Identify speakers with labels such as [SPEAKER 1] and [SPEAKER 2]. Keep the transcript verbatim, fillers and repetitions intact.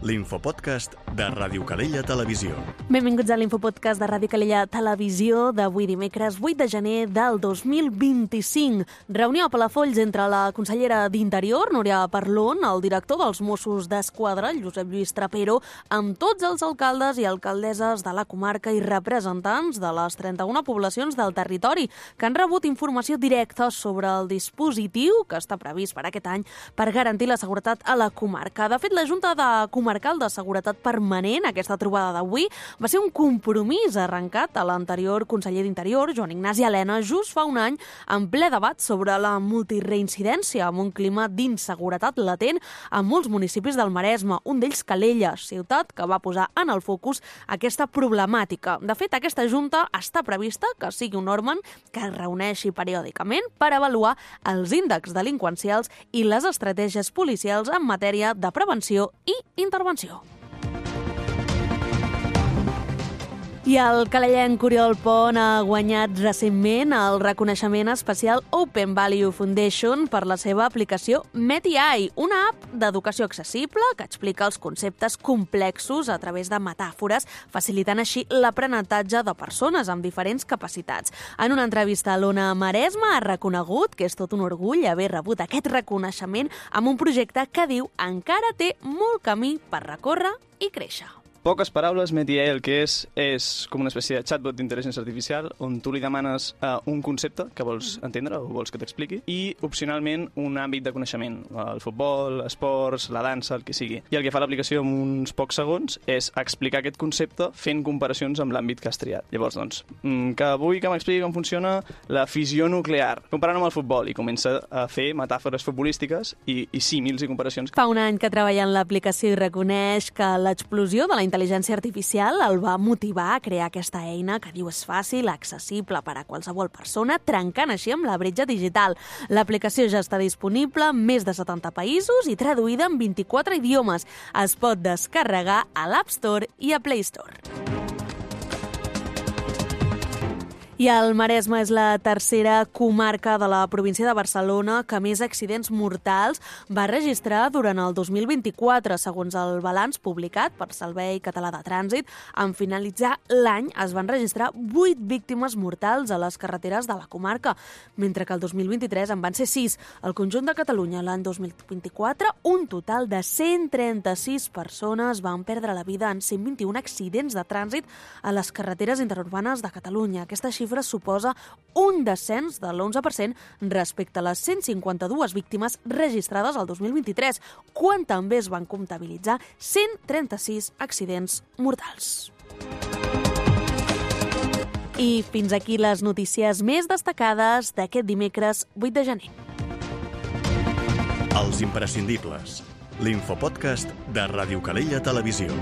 [SPEAKER 1] l'infopodcast de Ràdio Calella Televisió.
[SPEAKER 2] Benvinguts a l'infopodcast de Ràdio Calella Televisió d'avui dimecres vuit de gener del dos mil vint-i-cinc. Reunió a Palafolls entre la consellera d'Interior, Núria Parlon, el director dels Mossos d'Esquadra, Josep Lluís Trapero, amb tots els alcaldes i alcaldesses de la comarca i representants de les trenta-una poblacions del territori que han rebut informació directa sobre el dispositiu que està previst per aquest any per garantir la seguretat a la comarca. De fet, la Junta de Comarcal de Seguretat Permanent, aquesta trobada d'avui, va ser un compromís arrencat a l'anterior conseller d'Interior, Joan Ignasi Elena, just fa un any, en ple debat sobre la multireincidència, amb un clima d'inseguretat latent a molts municipis del Maresme, un d'ells Calella, ciutat que va posar en el focus aquesta problemàtica. De fet, aquesta Junta està prevista que sigui un òrgan que es reuneixi periòdicament per avaluar els índexs delinqüencials i les estratègies policials en matèria de prevenció i intervenció. I el calellenc Oriol Pont ha guanyat recentment el reconeixement especial Open Value Foundation per la seva aplicació MetAI, una app d'educació accessible que explica els conceptes complexos a través de metàfores, facilitant així l'aprenentatge de persones amb diferents capacitats. En una entrevista a l'Ona Maresme ha reconegut que és tot un orgull haver rebut aquest reconeixement amb un projecte que diu encara té molt camí per recórrer i créixer.
[SPEAKER 3] Poques paraules, MetAI el que és és com una espècie de chatbot d'intel·ligència artificial on tu li demanes uh, un concepte que vols entendre o vols que t'expliqui i, opcionalment, un àmbit de coneixement, el futbol, esports, la dansa, el que sigui. I el que fa l'aplicació en uns pocs segons és explicar aquest concepte fent comparacions amb l'àmbit que has triat. Llavors, doncs, que vull que m'expliqui com funciona la fissió nuclear, comparant amb el futbol, i comença a fer metàfores futbolístiques i, i símils i comparacions.
[SPEAKER 2] Fa un any que treballa en l'aplicació i reconeix que l'explosió de la intel·ligència artificial el va motivar a crear aquesta eina que diu és fàcil, accessible per a qualsevol persona, trencant així amb la bretxa digital. L'aplicació ja està disponible en més de setanta països i traduïda en vint-i-quatre idiomes. Es pot descarregar a l'App Store i a Play Store. I el Maresme és la tercera comarca de la província de Barcelona que més accidents mortals va registrar durant el dos mil vint-i-quatre, segons el balanç publicat per Servei Català de Trànsit. En finalitzar l'any es van registrar vuit víctimes mortals a les carreteres de la comarca, mentre que el dos mil vint-i-tres en van ser sis. Al conjunt de Catalunya, l'any dos mil vint-i-quatre, un total de cent trenta-sis persones van perdre la vida en cent vint-i-un accidents de trànsit a les carreteres interurbanes de Catalunya. Aquesta xifra suposa un descens de l'onze per cent respecte a les cent cinquanta-dues víctimes registrades al dos mil vint-i-tres, quan també es van comptabilitzar cent trenta-sis accidents mortals. I fins aquí les notícies més destacades d'aquest dimecres vuit de gener.
[SPEAKER 1] Els imprescindibles. L'infopodcast de Ràdio Calella Televisió.